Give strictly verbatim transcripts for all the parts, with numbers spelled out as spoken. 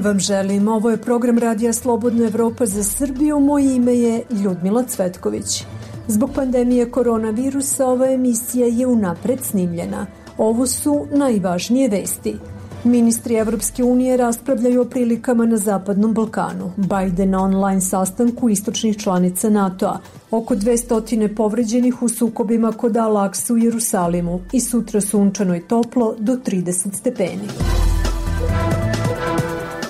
dan vam želim. Ovo je program Radija Slobodna Evropa za Srbiju. Moje ime je Ljudmila Cvetković. Zbog pandemije koronavirusa ova emisija je unapred snimljena. Ovo su najvažnije vesti. Ministri Evropske unije raspravljaju o prilikama na Zapadnom Balkanu. Biden na online sastanku istočnih članica NATO-a. Oko dvesta povređenih u sukobima kod Al-Akse u Jerusalimu i sutra sunčano i toplo do trideset stepeni.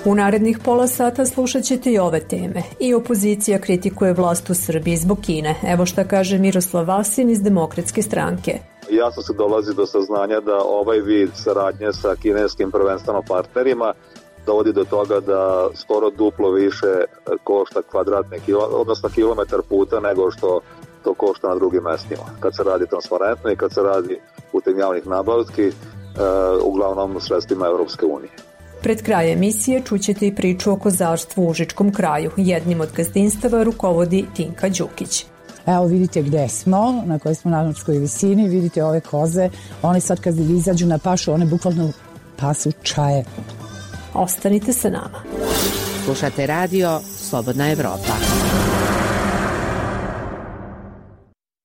U narednih pola sata slušat ćete i ove teme. I opozicija kritikuje vlast u Srbiji zbog Kine. Evo šta kaže Miroslav Vasin iz Demokratske stranke. Jasno se dolazi do saznanja da ovaj vid saradnje sa kineskim prvenstveno partnerima dovodi do toga da skoro duplo više košta kvadratni kilometar, odnosno kilometar puta nego što to košta na drugim mestima. Kad se radi transparentno i kad se radi putem javnih nabavki, uh, uglavnom sredstvima Evropske unije. Pred kraj emisije čućete i priču o kozarstvu u Užičkom kraju. Jednim od gazdinstava rukovodi Tinka Đukić. Evo vidite gde smo, na kojoj smo na nadmorskoj visini, vidite ove koze, one sad kad izađu na pašu, one bukvalno pasu čaje. Ostanite sa nama. Slušate radio Slobodna Evropa.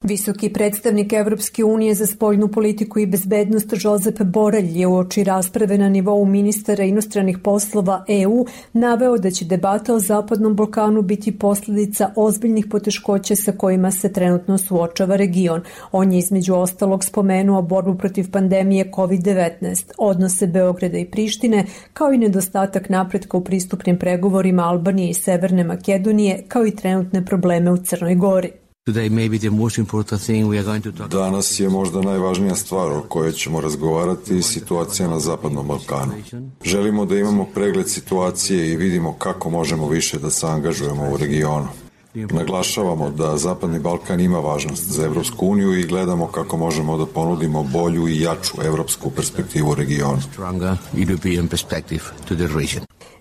Visoki predstavnik Evropske unije za spoljnu politiku i bezbednost Josep Borrell je uoči rasprave na nivou ministara inostranih poslova E U naveo da će debata o Zapadnom Balkanu biti posljedica ozbiljnih poteškoća sa kojima se trenutno suočava region. On je između ostalog spomenuo borbu protiv pandemije kovid devetnaest, odnose Beograda i Prištine, kao i nedostatak napretka u pristupnim pregovorima Albanije i Severne Makedonije, kao i trenutne probleme u Crnoj Gori. Danas je možda najvažnija stvar o kojoj ćemo razgovarati situacija na Zapadnom Balkanu. Želimo da imamo pregled situacije i vidimo kako možemo više da se angažujemo u regionu. Naglašavamo da Zapadni Balkan ima važnost za Evropsku uniju i gledamo kako možemo da ponudimo bolju i jaču evropsku perspektivu u regionu.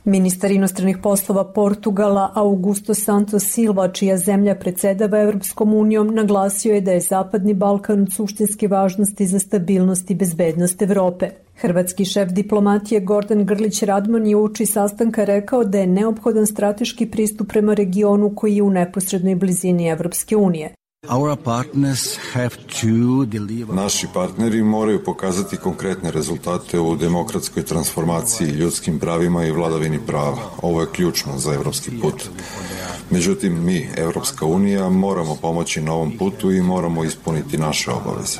Ministar inostranih poslova Portugala Augusto Santos Silva, čija zemlja predsedava Evropskom unijom, naglasio je da je Zapadni Balkan od suštinske važnosti za stabilnost i bezbednost Evrope. Hrvatski šef diplomatije Gordan Grlić Radman je uoči sastanka rekao da je neophodan strateški pristup prema regionu koji je u neposrednoj blizini Evropske unije. Naši partneri moraju pokazati konkretne rezultate u demokratskoj transformaciji, ljudskim pravima i vladavini prava. Ovo je ključno za evropski put. Međutim, mi, Evropska unija, moramo pomoći na ovom putu i moramo ispuniti naše obaveze.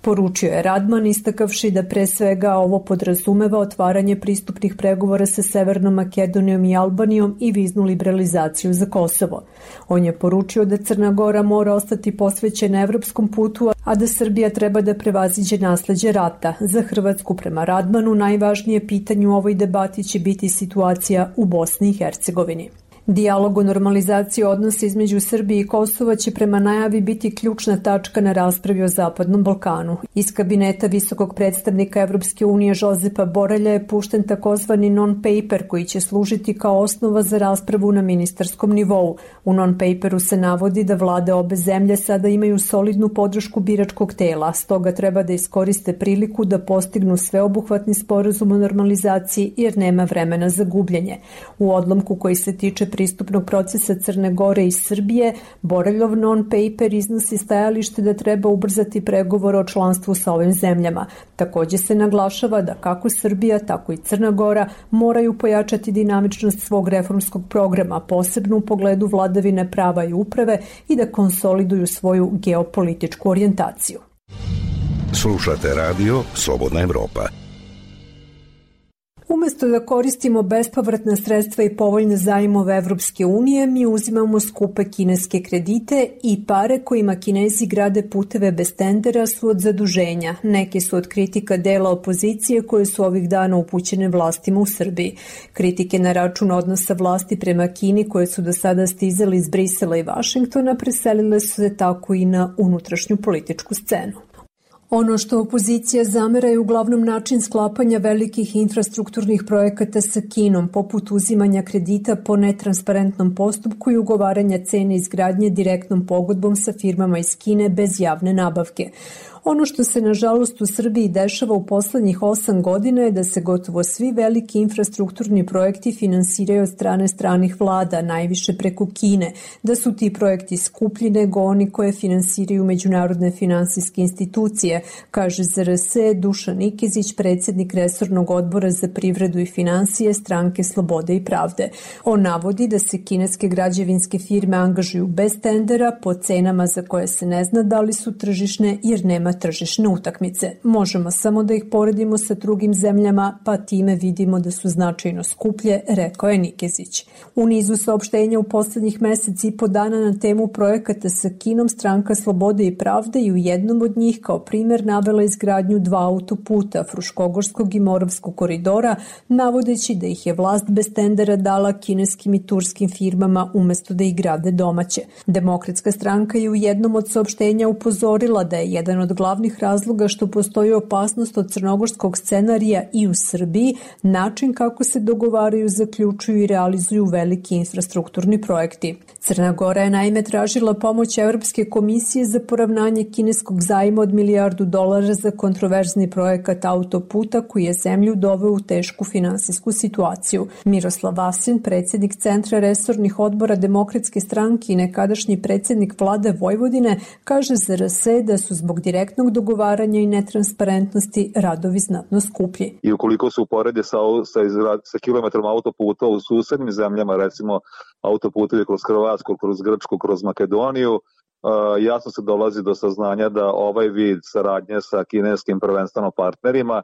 Poručio je Radman, istakavši da pre svega ovo podrazumeva otvaranje pristupnih pregovora sa Severnom Makedonijom i Albanijom i viznu liberalizaciju za Kosovo. On je poručio da Crna Gora mora ostati posvećena evropskom putu, a da Srbija treba da prevaziđe nasleđe rata. Za Hrvatsku, prema Radmanu, najvažnije pitanje u ovoj debati će biti situacija u Bosni i Hercegovini. Dijalog o normalizaciji odnosa između Srbije i Kosova će prema najavi biti ključna tačka na raspravi o Zapadnom Balkanu. Iz kabineta visokog predstavnika Evropske unije Josepa Borrella je pušten takozvani non-paper koji će služiti kao osnova za raspravu na ministarskom nivou. U non-paperu se navodi da vlade obe zemlje sada imaju solidnu podršku biračkog tela, stoga treba da iskoriste priliku da postignu sveobuhvatni sporazum o normalizaciji jer nema vremena za gubljenje. U odlomku koji se tiče pristupnog procesa Crne Gore i Srbije, Borrellov non-paper iznosi stajalište da treba ubrzati pregovore o članstvu sa ovim zemljama. Također se naglašava da kako Srbija, tako i Crna Gora moraju pojačati dinamičnost svog reformskog programa, posebno u pogledu vladavine prava i uprave i da konsoliduju svoju geopolitičku orijentaciju. Slušate radio Slobodna Evropa. Umesto da koristimo bespovratna sredstva i povoljne zajmove Evropske unije, mi uzimamo skupe kineske kredite i pare kojima Kinezi grade puteve bez tendera su od zaduženja. Neke su od kritika dela opozicije koje su ovih dana upućene vlastima u Srbiji. Kritike na račun odnosa vlasti prema Kini koje su do sada stizali iz Brisela i Vašingtona preselile su se tako i na unutrašnju političku scenu. Ono što opozicija zamera je uglavnom način sklapanja velikih infrastrukturnih projekata sa Kinom, poput uzimanja kredita po netransparentnom postupku i ugovaranja cene izgradnje direktnom pogodbom sa firmama iz Kine bez javne nabavke. Ono što se nažalost u Srbiji dešava u poslednjih osam godina je da se gotovo svi veliki infrastrukturni projekti finansiraju od strane stranih vlada, najviše preko Kine, da su ti projekti skuplji nego oni koje finansiraju međunarodne finansijske institucije, kaže Z R S Dušan Nikezić, predsjednik resornog odbora za privredu i finansije Stranke Slobode i pravde. On navodi da se kineske građevinske firme angažuju bez tendera po cenama za koje se ne zna da li su tržišne jer nema tržišne utakmice. Možemo samo da ih poredimo sa drugim zemljama, pa time vidimo da su značajno skuplje, rekao je Nikezić. U nizu saopštenja u poslednjih meseci i po dana na temu projekata sa Kinom, Stranka Slobode i pravde i u jednom od njih kao primer navela izgradnju dva autoputa, Fruškogorskog i Moravskog koridora, navodeći da ih je vlast bez tendera dala kineskim i turskim firmama umesto da ih grade domaće. Demokratska stranka je u jednom od saopštenja upozorila da je jedan od glavnih razloga što postoji opasnost od crnogorskog scenarija i u Srbiji način kako se dogovaraju, zaključuju i realizuju veliki infrastrukturni projekti. Crna Gora je naime tražila pomoć Evropske komisije za poravnanje kineskog zajma od milijardu dolara za kontroverzni projekat autoputa koji je zemlju doveo u tešku finansijsku situaciju. Miroslav Vasin, predsjednik Centra resornih odbora Demokratske stranke i nekadašnji predsjednik vlade Vojvodine, kaže Z R S da su zbog direktnog dogovaranja i netransparentnosti radovi znatno skuplji. I ukoliko se uporedi sa, sa, sa kilometrom autoputa u susednim zemljama, recimo autoputevi kroz Hrvatsku, kroz Grčku, kroz Makedoniju, Uh, jasno se dolazi do saznanja da ovaj vid saradnje sa kineskim prvenstveno partnerima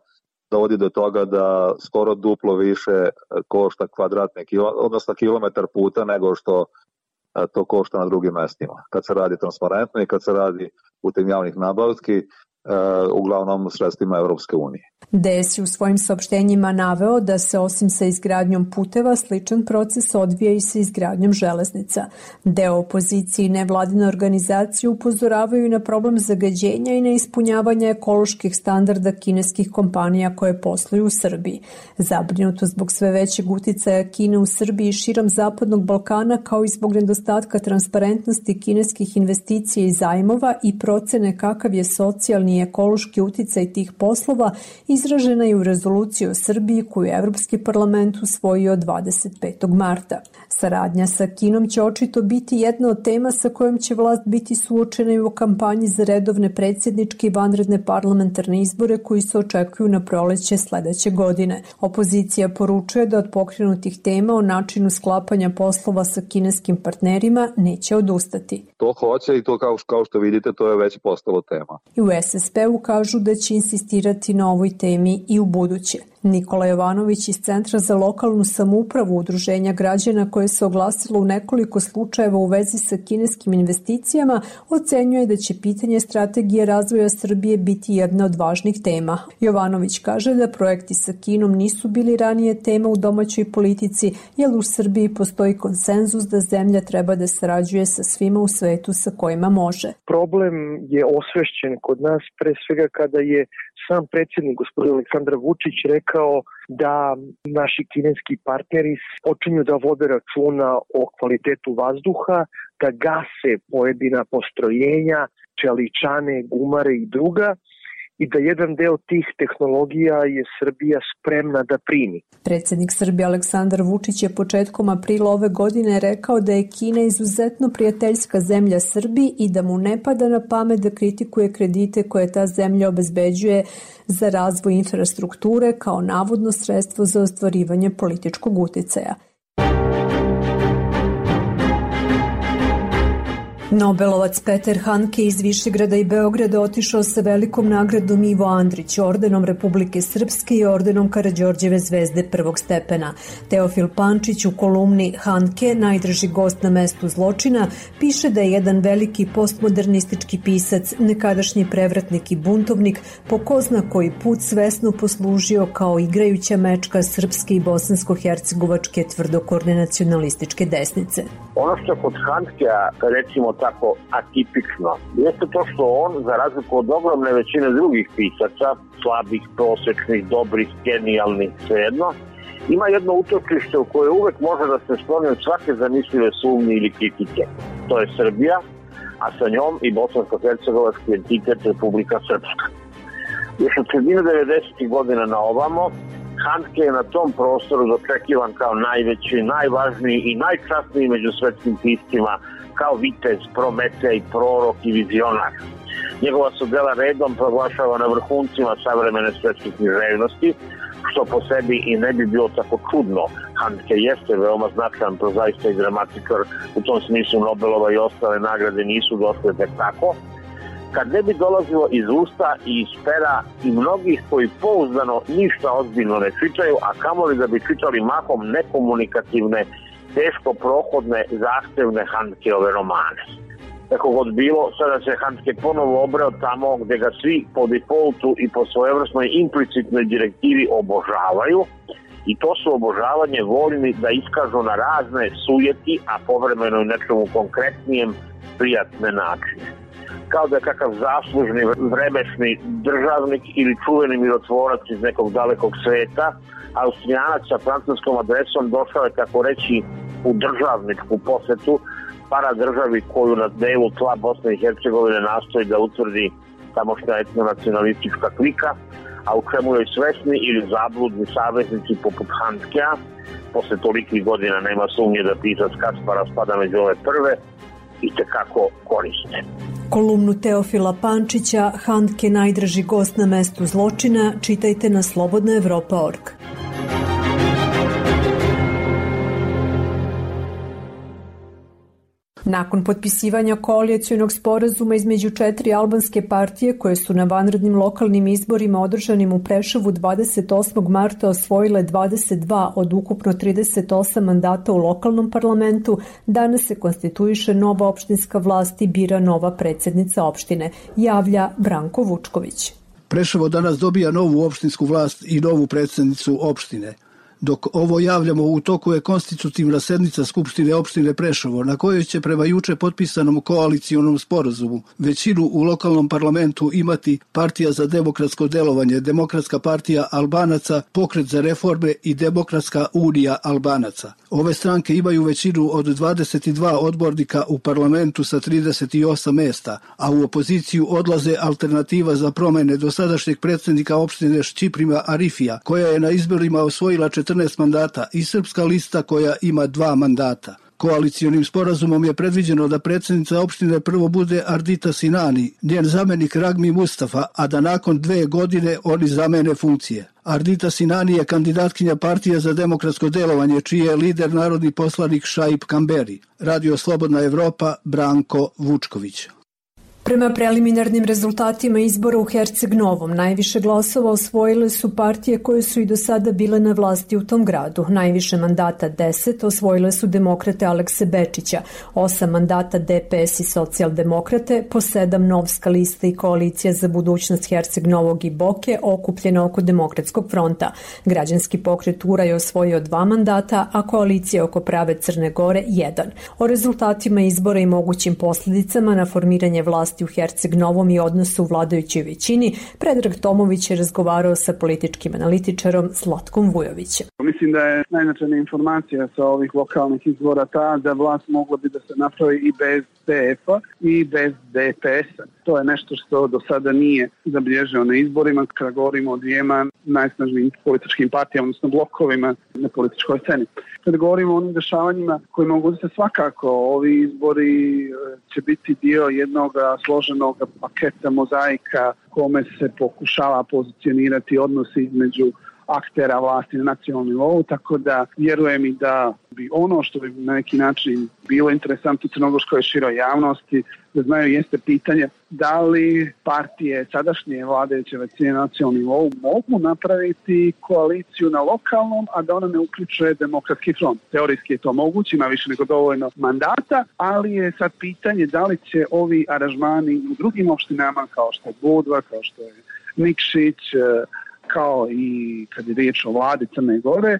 dovodi do toga da skoro duplo više košta kvadratni kilo, odnosno kilometar puta nego što uh, to košta na drugim mestima. Kad se radi transparentno i kad se radi putem javnih nabavki, Uh, uglavnom sredstvima Evropske unije. D S je u svojim saopštenjima naveo da se osim sa izgradnjom puteva sličan proces odvija i sa izgradnjom železnica. Deo opozicije i nevladine organizacije upozoravaju na problem zagađenja i neispunjavanja ekoloških standarda kineskih kompanija koje posluju u Srbiji. Zabrinuto zbog sve većeg uticaja Kine u Srbiji i širom Zapadnog Balkana, kao i zbog nedostatka transparentnosti kineskih investicija i zajmova i procene kakav je socijalni i ekološki uticaj tih poslova, izražena je u rezoluciji o Srbiji koju je Evropski parlament usvojio dvadeset petog marta. Saradnja sa Kinom će očito biti jedna od tema sa kojom će vlast biti suočena i u kampanji za redovne predsjedničke i vanredne parlamentarne izbore koji se očekuju na proleće sledeće godine. Opozicija poručuje da od pokrenutih tema o načinu sklapanja poslova sa kineskim partnerima neće odustati. To hoće i to kao, kao što vidite to je već postalo tema. I u S S P-u kažu da će insistirati na ovoj temi i u buduće. Nikola Jovanović iz Centra za lokalnu samoupravu Udruženja građana koje se oglasilo u nekoliko slučajeva u vezi sa kineskim investicijama ocenjuje da će pitanje strategije razvoja Srbije biti jedna od važnih tema. Jovanović kaže da projekti sa Kinom nisu bili ranije tema u domaćoj politici, jer u Srbiji postoji konsenzus da zemlja treba da sarađuje sa svima u svetu sa kojima može. Problem je osvešćen kod nas pre svega kada je sam predsjednik gospodin Aleksandar Vučić rekao da naši kineski partneri počinju da vode računa o kvalitetu vazduha, da gase pojedina postrojenja, čeličane, gumare i druga, i da jedan deo tih tehnologija je Srbija spremna da primi. Predsjednik Srbije Aleksandar Vučić je početkom aprila ove godine rekao da je Kina izuzetno prijateljska zemlja Srbiji i da mu ne pada na pamet da kritikuje kredite koje ta zemlja obezbeđuje za razvoj infrastrukture kao navodno sredstvo za ostvarivanje političkog uticaja. Nobelovac Peter Handke iz Višegrada i Beograda otišao sa velikom nagradom Ivo Andrić, ordenom Republike Srpske i ordenom Karađorđeve zvezde prvog stepena. Teofil Pančić u kolumni Handke, najdrži gost na mestu zločina, piše da je jedan veliki postmodernistički pisac, nekadašnji prevratnik i buntovnik, po ko zna koji put svesno poslužio kao igrajuća mečka srpske i bosansko-hercegovačke tvrdokorne nacionalističke desnice. Ono što kod Handkea, recimo tako atipično, jeste to što on, za razliku od ogromne većine drugih pisaca, slabih, prosečnih, dobrih, genijalnih, svejedno, ima jedno utočište u koje uvek može da se skloni od svake zamislive sumnje ili kritike. To je Srbija, a sa njom i bosansko-hercegovački entitet Republika Srpska. Još od sredine devedesetih godina na ovamo, Handke je na tom prostoru dočekivan kao najveći, najvažniji i najčasniji među svetskim piscima, kao vitez, prometej, prorok i vizionar. Njegova su dela redom proglašavana vrhuncima savremene svetske književnosti, što po sebi i ne bi bilo tako čudno. Handke jeste veoma značajan prozaista i dramatičar, u tom smislu Nobelova i ostale nagrade nisu došle tek tako. Kad ne bi dolazilo iz usta i iz pera i mnogih koji pouzdano ništa ozbiljno ne čitaju, a kamoli da bi čitali mahom nekomunikativne, teško prohodne, zahtevne Handkeove romane. Tako god bilo, sada se Handke ponovo obreo tamo gde ga svi po defaultu i po svojevrsnoj implicitnoj direktivi obožavaju, i to su obožavanje voljni da iskažu na razne sujeti, a povremeno i nečemu konkretnijem prijatne načine. Kao da je kakav zaslužni vremešni državnik ili čuveni mirotvorac iz nekog dalekog sveta, Austrijanac sa francuskom adresom došao je, tako reći, u državničku posetu paradržavi koju na delu tla Bosne i Hercegovine nastoji da utvrdi tamošnja etnonacionalistička klika, a u čemu joj svesni ili zabludni saveznici poput Handkea, posle tolikih godina nema sumnje da pisac Kaspara spada među ove prve, i tekako koriste. Kolumnu Teofila Pančića, Handke najdraži gost na mestu zločina, čitajte na slobodna evropa tačka org. Nakon potpisivanja koalicionog sporazuma između četiri albanske partije koje su na vanrednim lokalnim izborima održanim u Preševu dvadeset osmog marta osvojile dvadeset dva od ukupno trideset osam mandata u lokalnom parlamentu, danas se konstituiše nova opštinska vlast i bira nova predsjednica opštine, javlja Branko Vučković. Preševo danas dobija novu opštinsku vlast i novu predsjednicu opštine. Dok ovo javljamo, u toku je konstitutivna sednica Skupštine opštine Preševo, na kojoj će prema juče potpisanom koalicionom sporazumu većinu u lokalnom parlamentu imati Partija za demokratsko delovanje, Demokratska partija Albanaca, Pokret za reforme i Demokratska unija Albanaca. Ove stranke imaju većinu od dvadeset dva odbornika u parlamentu sa trideset osam mesta, a u opoziciju odlaze Alternativa za promene dosadašnjeg predsjednika opštine Šćiprima Arifija, koja je na izborima osvojila četrnaest mandata, i Srpska lista koja ima dva mandata. Koalicionim sporazumom je predviđeno da predsjednica opštine prvo bude Ardita Sinani, njen zamenik Ragmi Mustafa, a da nakon dve godine oni zamene funkcije. Ardita Sinani je kandidatkinja Partije za demokratsko delovanje, čiji je lider narodni poslanik Šaip Kamberi. Radio Slobodna Evropa, Branko Vučković. Prema preliminarnim rezultatima izbora u Herceg Novom, najviše glasova osvojile su partije koje su i do sada bile na vlasti u tom gradu. Najviše mandata deset osvojile su demokrate Alekse Bečića, osam mandata D P S i socijaldemokrate, po sedam Novska lista i koalicija za budućnost Herceg Novog i Boke, okupljena oko Demokratskog fronta. Građanski pokret Ura je osvojio dva mandata, a koalicija oko prave Crne Gore jedan. O rezultatima izbora i mogućim posljedicama na formiranje vlasti u Herceg Novom i odnosu u vladajućoj većini, Predrag Tomović je razgovarao sa političkim analitičarom Zlatkom Vujovićem. Mislim da je najznačajnija informacija sa ovih lokalnih izbora ta da vlast mogla bi da se napravi i bez D F-a i bez D P S-a. To je nešto što do sada nije zabilježeno na izborima, kada govorimo o dvijema najsnažnijim političkim partijama, odnosno blokovima na političkoj sceni. Kada govorimo o onim dešavanjima koji mogu da se svakako, ovi izbori će biti dio jednog složenog paketa mozaika kome se pokušava pozicionirati odnosi između aktera vlasti na nacionalnom nivou, tako da vjerujem i da bi ono što bi na neki način bilo interesantno crnogorskoj široj javnosti da znaju jeste pitanje da li partije sadašnje vladajuće većine na nacionalnom nivou mogu napraviti koaliciju na lokalnom, a da ona ne uključuje Demokratski front. Teorijski je to moguće, ima više nego dovoljno mandata, ali je sad pitanje da li će ovi aranžmani u drugim opštinama kao što je Budva, kao što je Nikšić, kao i kad je riječ o vladi Crne Gore,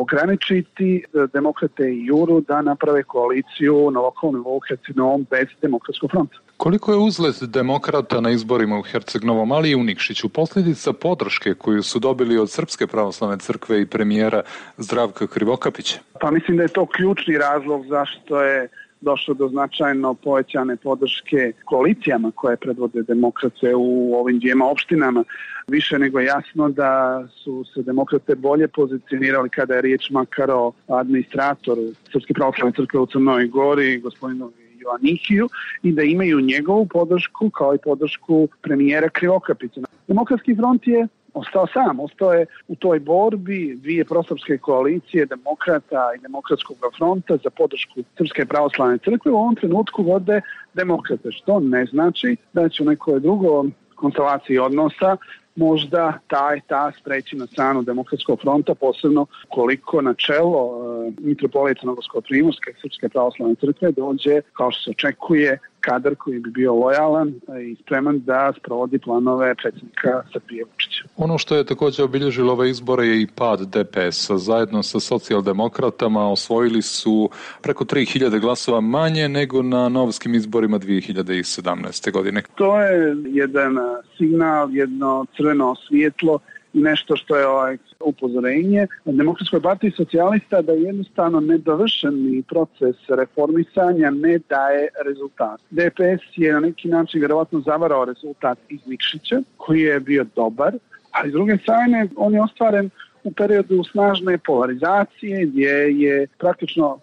ograničiti demokrate i Juru da naprave koaliciju na lokalnom nivou Herceg Novom bez Demokratskog fronta. Koliko je uzlet demokrata na izborima u Herceg Novom, ali i u Nikšiću, posljedica podrške koju su dobili od Srpske pravoslavne crkve i premijera Zdravka Krivokapića? Pa mislim da je to ključni razlog zašto je došlo do značajno povećane podrške koalicijama koje predvode demokrate u ovim dvijema opštinama. Više nego jasno da su se demokrate bolje pozicionirali kada je riječ makar o administratoru Srpske pravoslavne crkve u Crnoj Gori, gospodinu Joannikiju, i da imaju njegovu podršku kao i podršku premijera Krivokapića. Demokratski front je ostao sam, ostao je u toj borbi dvije prosrpske koalicije, demokrata i demokratskog fronta za podršku Srpske pravoslavne crkve. U ovom trenutku vode demokrate, što ne znači da će u nekoj drugoj konstelaciji odnosa možda taj ta spreći na stranu demokratskog fronta, posebno koliko na čelo e, mitropolita Novoskovsko-primorske Srpske pravoslavne crkve dođe, kao što se očekuje, kadar koji bi bio lojalan i spreman da sprovodi planove predsjednika Srbije Vučića. Ono što je također obilježilo ove izbore je i pad D P S-a. Zajedno sa socijaldemokratama osvojili su preko tri hiljade glasova manje nego na novskim izborima dvije hiljade sedamnaeste. godine. To je jedan signal, jedno crveno svjetlo i nešto što je ovaj upozorenje Demokratskoj partiji socijalista da jednostavno nedovršeni proces reformisanja ne daje rezultat. D P S je na neki način vjerovatno zavarao rezultat iz Nikšića, koji je bio dobar, ali s druge strane on je ostvaren u periodu snažne polarizacije gdje je praktično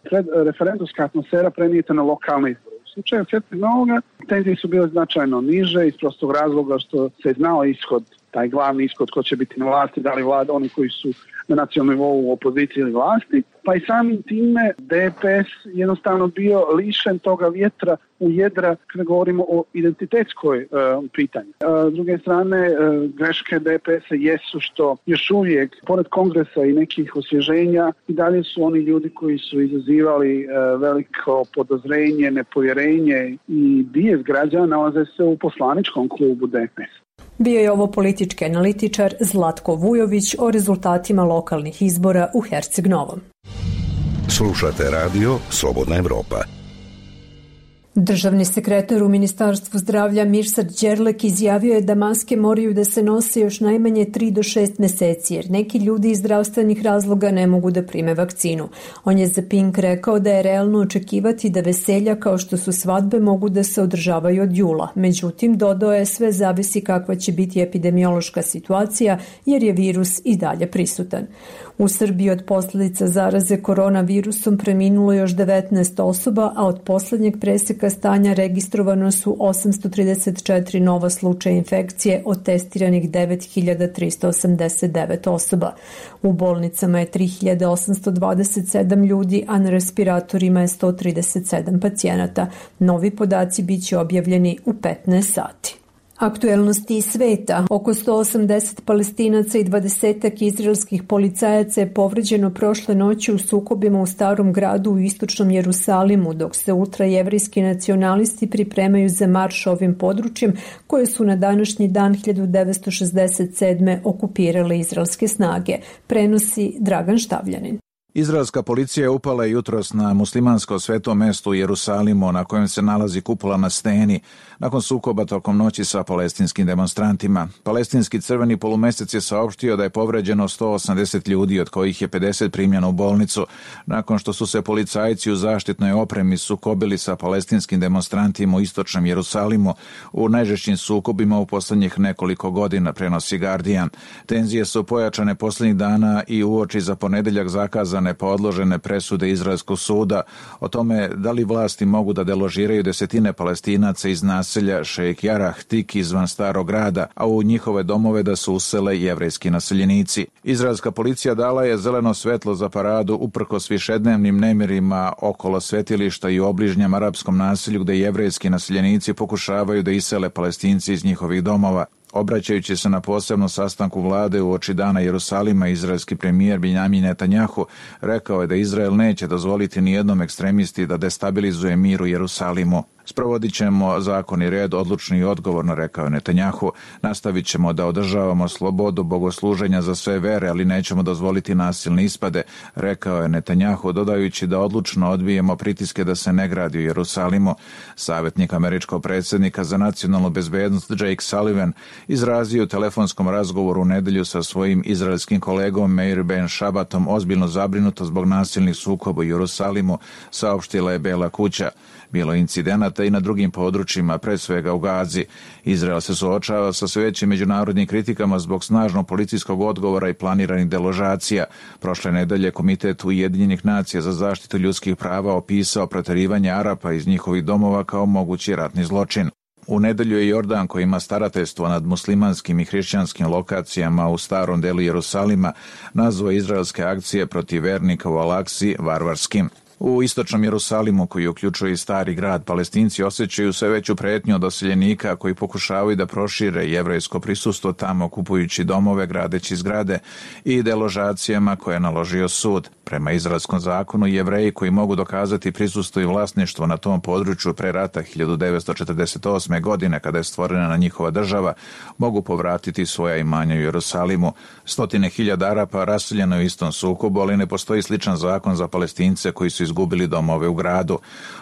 referendumska atmosfera prenijeta na lokalne izbore. U slučaju Svetog Novoga tenzije su bile značajno niže iz prostog razloga što se znao ishod, taj glavni ishod ko će biti na vlasti, da li vlada oni koji su na nacionalnom nivou u opoziciji ili vlasti, pa i samim time D P S jednostavno bio lišen toga vjetra u jedra kada govorimo o identitetskoj e, pitanju. E, s druge strane, e, greške D P S-a jesu što još uvijek, pored kongresa i nekih osvježenja, i dalje su oni ljudi koji su izazivali e, veliko podozrenje, nepovjerenje i bijes građana nalaze se u poslaničkom klubu D P S. Bio je ovo politički analitičar Zlatko Vujović o rezultatima lokalnih izbora u Herceg Novom. Slušate radio Slobodna Evropa. Državni sekretar u Ministarstvu zdravlja Mirsad Đerlek izjavio je da maske moraju da se nose još najmanje tri do šest meseci, jer neki ljudi iz zdravstvenih razloga ne mogu da prime vakcinu. On je za Pink rekao da je realno očekivati da veselja kao što su svadbe mogu da se održavaju od jula. Međutim, dodao je sve zavisi kakva će biti epidemiološka situacija, jer je virus i dalje prisutan. U Srbiji od posljedica zaraze koronavirusom preminulo još devetnaest osoba, a od posljednjeg preseka stanja registrovano su osamsto trideset četiri nova slučaja infekcije od testiranih devet hiljada tristo osamdeset devet osoba. U bolnicama je tri hiljade osamsto dvadeset sedam ljudi, a na respiratorima je sto trideset sedam pacijenata. Novi podaci biće objavljeni u petnaest sati. Aktuelnosti iz sveta. Oko sto osamdeset Palestinaca i dvadesetak izraelskih policajaca je povređeno prošle noći u sukobima u Starom gradu u istočnom Jerusalimu, dok se ultrajevrijski nacionalisti pripremaju za marš ovim područjem koje su na današnji dan hiljadu devetsto šezdeset sedme okupirale izraelske snage. Prenosi Dragan Štavljanin. Izraelska policija je upala jutros na muslimansko sveto mesto u Jerusalimu na kojem se nalazi kupola na steni nakon sukoba tokom noći sa palestinskim demonstrantima. Palestinski crveni polumesec je saopštio da je povređeno sto osamdeset ljudi, od kojih je pedeset primljeno u bolnicu, nakon što su se policajci u zaštitnoj opremi sukobili sa palestinskim demonstrantima u istočnom Jerusalimu u najžešćim sukobima u posljednjih nekoliko godina, prenosi Guardian. Tenzije su pojačane posljednjih dana i uoči za ponedeljak zakazane pa odložene presude Izraelskog suda o tome da li vlasti mogu da deložiraju desetine Palestinaca iz naselja Šejk Jarah tik izvan Starog grada, a u njihove domove da se usele jevrejski naseljenici. Izraelska policija dala je zeleno svetlo za paradu uprkos višednevnim nemirima okolo svetilišta i u obližnjem arapskom naselju gde jevrejski naseljenici pokušavaju da isele Palestinci iz njihovih domova. Obraćajući se na posebnom sastanku vlade u oči dana Jerusalima, izraelski premijer Benjamin Netanjahu rekao je da Izrael neće dozvoliti nijednom ekstremisti da destabilizuje mir u Jerusalimu. Sprovodit ćemo zakon i red odlučno i odgovorno, rekao je Netanjahu. Nastavit ćemo da održavamo slobodu bogosluženja za sve vere, ali nećemo dozvoliti nasilne ispade, rekao je Netanjahu, dodajući da odlučno odbijemo pritiske da se ne gradi u Jerusalimu. Savjetnik američkog predsjednika za nacionalnu bezbednost Jake Sullivan izrazio u telefonskom razgovoru u nedelju sa svojim izraelskim kolegom Meir Ben Šabatom ozbiljno zabrinuto zbog nasilnih sukoba u Jerusalimu, saopštila je Bela kuća. Bilo je incidenata i na drugim područjima, pre svega u Gazi. Izrael se suočava sa sve većim međunarodnim kritikama zbog snažnog policijskog odgovora i planiranih deložacija. Prošle nedelje Komitet Ujedinjenih nacija za zaštitu ljudskih prava opisao proterivanje Arapa iz njihovih domova kao mogući ratni zločin. U nedelju je Jordan, koji ima starateljstvo nad muslimanskim i hrišćanskim lokacijama u starom delu Jerusalima, nazvao izraelske akcije protiv vernika u Al-Aksi varvarskim. U istočnom Jerusalimu, koji uključuje i stari grad, Palestinci osjećaju sve veću pretnju od doseljenika koji pokušavaju da prošire jevrejsko prisustvo tamo, kupujući domove, gradeći zgrade i deložacijama koje je naložio sud. Prema izraelskom zakonu, Jevreji koji mogu dokazati prisustvo i vlasništvo na tom području pre rata hiljadu devetsto četrdeset osme. godine, kada je stvorena na njihova država, mogu povratiti svoja imanja u Jerusalimu. Stotine hiljada Arapa raseljeno u istom sukobu, ali ne postoji sličan zakon za Palestince koji su izgubili domove u gradu.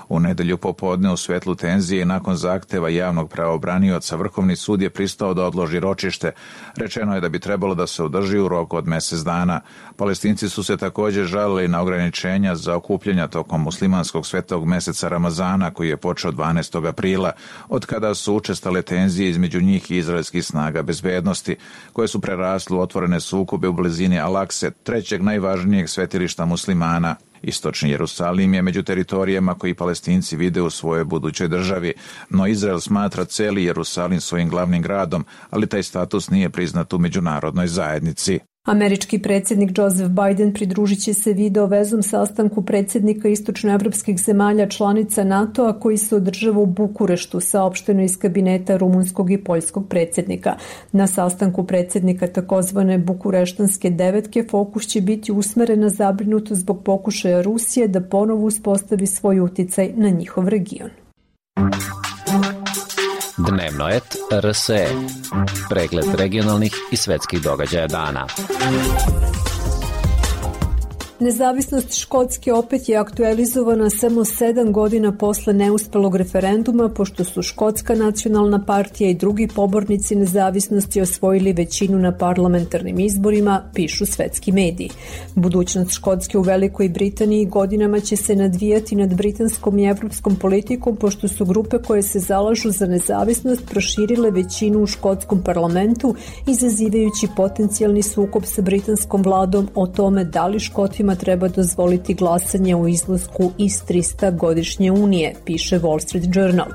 U nedelju popodne u svetlu tenzije i nakon zahteva javnog pravobranioca, Vrhovni sud je pristao da odloži ročište. Rečeno je da bi trebalo da se održi u roku od mjesec dana. Palestinci su se također žalili na ograničenja za okupljanja tokom muslimanskog svetog meseca Ramazana, koji je počeo dvanaestog aprila, od kada su učestale tenzije između njih i izraelskih snaga bezbednosti, koje su prerasle u otvorene sukobe u blizini Al-Akse, trećeg najvažnijeg svetilišta muslimana. Istočni Jerusalim je među teritorijama koji Palestinci vide u svojoj budućoj državi, no Izrael smatra celi Jerusalim svojim glavnim gradom, ali taj status nije priznat u međunarodnoj zajednici. Američki predsjednik Joseph Biden pridružit će se video vezom sastanku predsjednika istočnoevropskih zemalja članica NATO-a koji se održava u Bukureštu, saopšteno iz kabineta rumunskog i poljskog predsjednika. Na sastanku predsjednika takozvane Bukureštanske devetke fokus će biti usmeren na zabrinutost zbog pokušaja Rusije da ponovo uspostavi svoj uticaj na njihov region. Dnevno et R S E. Pregled regionalnih i svetskih događaja dana. Nezavisnost Škotske opet je aktualizovana samo sedam godina posle neuspelog referenduma, pošto su Škotska nacionalna partija i drugi pobornici nezavisnosti osvojili većinu na parlamentarnim izborima, pišu svetski mediji. Budućnost Škotske u Velikoj Britaniji godinama će se nadvijati nad britanskom i evropskom politikom, pošto su grupe koje se zalažu za nezavisnost proširile većinu u škotskom parlamentu, izazivajući potencijalni sukob sa britanskom vladom o tome da li Škotima treba dozvoliti glasanje u izlasku iz trista godišnje unije, piše Wall Street Journal.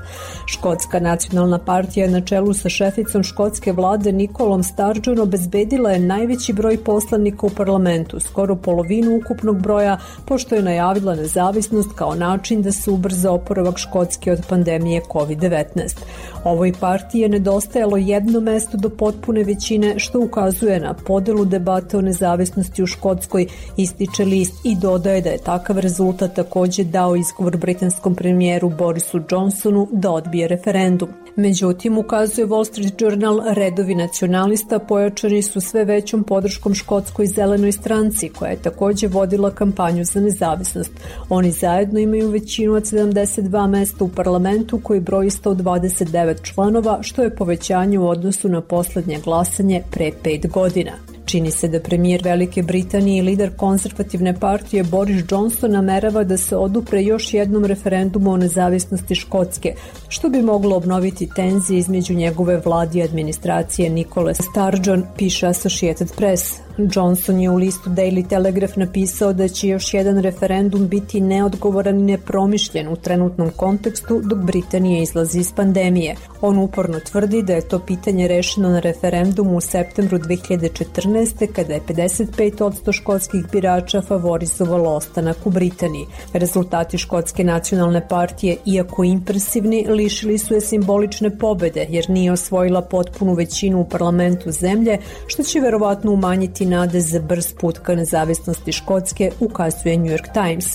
Škotska nacionalna partija na čelu sa šeficom škotske vlade Nicolom Sturgeon obezbedila je najveći broj poslanika u parlamentu, skoro polovinu ukupnog broja, pošto je najavila nezavisnost kao način da se ubrza oporavak Škotske od pandemije kovid devetnaest. Ovoj partiji je nedostajalo jedno mesto do potpune većine, što ukazuje na podelu debate o nezavisnosti u Škotskoj, ističe list i dodaje da je takav rezultat također dao izgovor britanskom premijeru Borisu Johnsonu da odbije referendum. Međutim, ukazuje Wall Street Journal, redovi nacionalista pojačani su sve većom podrškom Škotskoj zelenoj stranci, koja je također vodila kampanju za nezavisnost. Oni zajedno imaju većinu od sedamdeset dva mesta u parlamentu koji broji sto dvadeset devet članova, što je povećanje u odnosu na posljednje glasanje pre pet godina. Čini se da premijer Velike Britanije i lider konzervativne partije Boris Johnson namerava da se odupre još jednom referendumu o nezavisnosti Škotske, što bi moglo obnoviti tenzije između njegove vlade i administracije Nicole Sturgeon, piše Associated Press. Johnson je u listu Daily Telegraph napisao da će još jedan referendum biti neodgovoran i nepromišljen u trenutnom kontekstu dok Britanija izlazi iz pandemije. On uporno tvrdi da je to pitanje rešeno na referendumu u septembru dve hiljade četrnaeste. kada je pedeset pet posto škotskih birača favorizovalo ostanak u Britaniji. Rezultati Škotske nacionalne partije, iako impresivni, lišili su je simbolične pobede jer nije osvojila potpunu većinu u parlamentu zemlje, što će verovatno umanjiti nade za brz put ka nezavisnosti Škotske, ukazuje New York Times.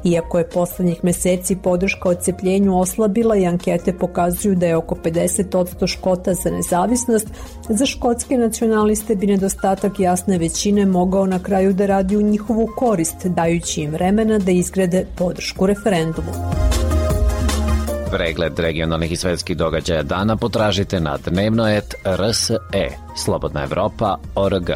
Iako je poslednjih meseci podrška odcepljenju oslabila i ankete pokazuju da je oko pedeset posto Škota za nezavisnost, za škotske nacionaliste bi nedostatak jasne većine mogao na kraju da radi u njihovu korist, dajući im vremena da izgrade podršku referendumu. Pregled regionalnih i svetskih događaja dana potražite na dnevnoet R S E, Slobodna Evropa, O R G.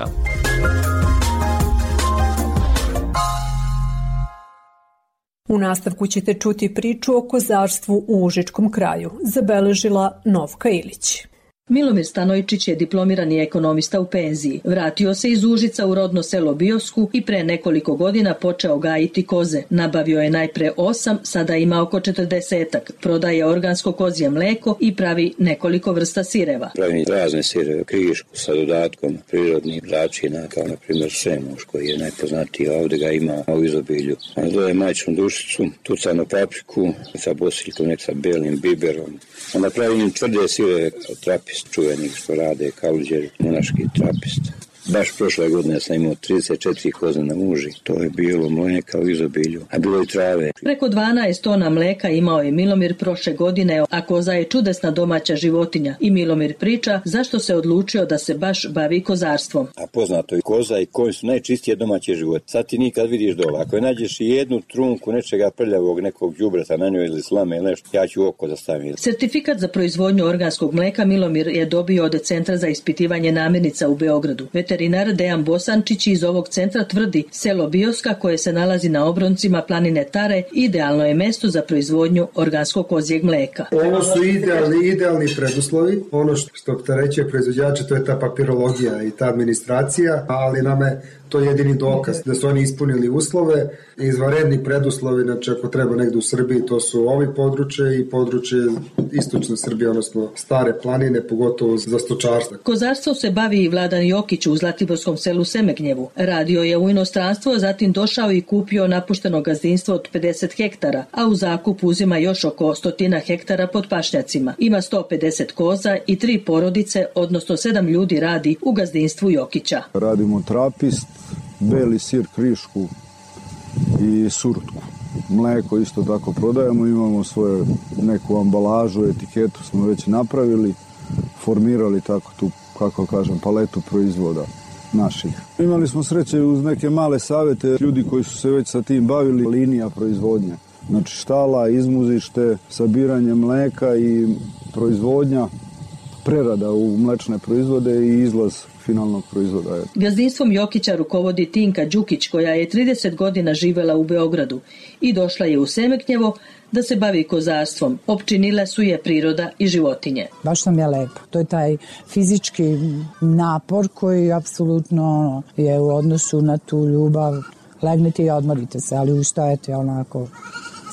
U nastavku ćete čuti priču o kozarstvu u Užičkom kraju, zabeležila Novka Ilić. Milomir Stanojčić je diplomirani ekonomista u penziji. Vratio se iz Užica u rodno selo Biosku i pre nekoliko godina počeo gajiti koze. Nabavio je najpre osam, sada ima oko četrdesetak. Prodaje organsko kozje mleko i pravi nekoliko vrsta sireva. Pravim razne sireve, krišku sa dodatkom prirodnih začina, kao na primjer semuš koji je najpoznatiji, a ovdje ga ima u izobilju. Dodaje majčnu dušicu, tucanu papriku sa bosiljkom, nek sa belim biberom. Onda pravim tvrde sireve od trapist čuvenih što rade Kaluđer, monaški trapist. Baš prošle godine sam imao trideset četiri koze na muži. To je bilo mleka u izobilju, a bilo i trave. Preko dvanaest tona mleka imao je Milomir prošle godine, a koza je čudesna domaća životinja. I Milomir priča zašto se odlučio da se baš bavi kozarstvom. A poznato je koza i konj su najčistije domaće životinje. Sad ti nikad vidiš dole. Ako je nađeš i jednu trunku nečega prljavog, nekog đubreta na njoj ili slame ili nešto, ja ću oko da stavim. Sertifikat za proizvodnju organskog mleka Milomir je dobio od Centra za ispitivanje namirnica u Beogradu. Veterinar Dejan Bosančić iz ovog centra tvrdi selo Bioska koje se nalazi na obroncima planine Tare idealno je mesto za proizvodnju organskog kozjeg mleka. Ovo su idealni, idealni preduslovi. Ono što opterećuje proizvođače to je ta papirologija i ta administracija, ali nam je to je jedini dokaz da su oni ispunili uslove. Izvanredni preduslovi, znači ako treba negde u Srbiji, to su ovi područje i područje istočne Srbije, odnosno stare planine, pogotovo za stočarstvo. Kozarstvo se bavi i Vladan Jokić u zlatiborskom selu Semegnjevu. Radio je u inostranstvo, zatim došao i kupio napušteno gazdinstvo od pedeset hektara, a u zakup uzima još oko stotina hektara pod pašnjacima. Ima sto pedeset koza i tri porodice, odnosno sedam ljudi radi u gazdinstvu Jokića. Radimo trapist, beli sir, krišku i surutku. Mleko isto tako prodajemo, imamo svoju neku ambalažu, etiketu smo već napravili, formirali tako tu, kako kažem, paletu proizvoda naših. Imali smo sreće uz neke male savete, ljudi koji su se već sa tim bavili, linija proizvodnje. Znači štala, izmuzište, sabiranje mleka i proizvodnja, prerada u mlečne proizvode i izlaz finalnog proizvoda. Gazdinstvom Jokića rukovodi Tinka Đukić koja je trideset godina živela u Beogradu i došla je u Semegnjevo da se bavi kozarstvom. Opčinile su je priroda i životinje. Baš nam je lepo. To je taj fizički napor koji apsolutno je u odnosu na tu ljubav. Legnete i odmorite se, ali ustajete onako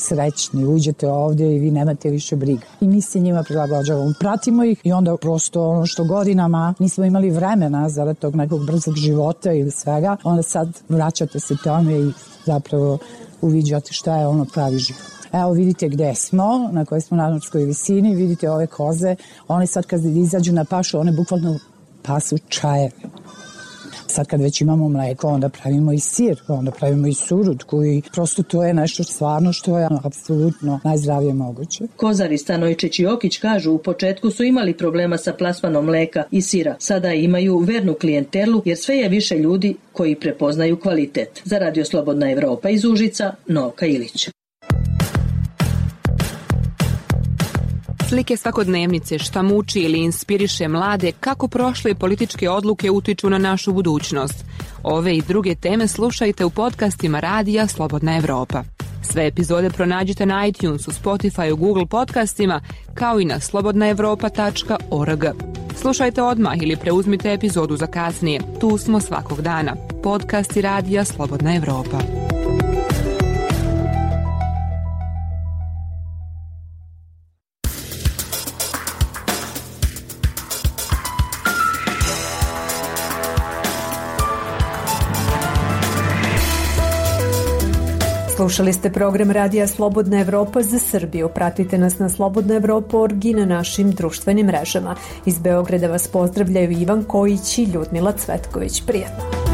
srećni, uđete ovdje i vi nemate više briga. I mi se njima prilagođavamo, pratimo ih i onda prosto ono što godinama nismo imali vremena zarad tog nekog brzog života ili svega, onda sad vraćate se tome i zapravo uviđate šta je ono pravi život. Evo vidite gde smo, na kojoj smo na nadmorskoj visini, vidite ove koze, one sad kad izađu na pašu, one bukvalno pasu čajeve. Sad kad već imamo mleko, onda pravimo i sir, onda pravimo i surutku i prosto to je nešto stvarno što je apsolutno najzdravije moguće. Kozari Stanojčić i Jokić kažu u početku su imali problema sa plasmanom mleka i sira. Sada imaju vernu klijentelu jer sve je više ljudi koji prepoznaju kvalitet. Za Radio Slobodna Evropa iz Užica, Novka Ilić. Slike svakodnevnice, šta muči ili inspiriše mlade, kako prošle političke odluke utiču na našu budućnost. Ove i druge teme slušajte u podcastima Radija Slobodna Evropa. Sve epizode pronađite na iTunesu, Spotify, Google podcastima, kao i na slobodna evropa tačka org. Slušajte odmah ili preuzmite epizodu za kasnije. Tu smo svakog dana. Podcasti Radija Slobodna Evropa. Slušali ste program Radija Slobodna Evropa za Srbiju. Pratite nas na slobodna evropa tačka org i na našim društvenim mrežama. Iz Beograda vas pozdravljaju Ivan Kojić i Ljudmila Cvetković. Prijetno!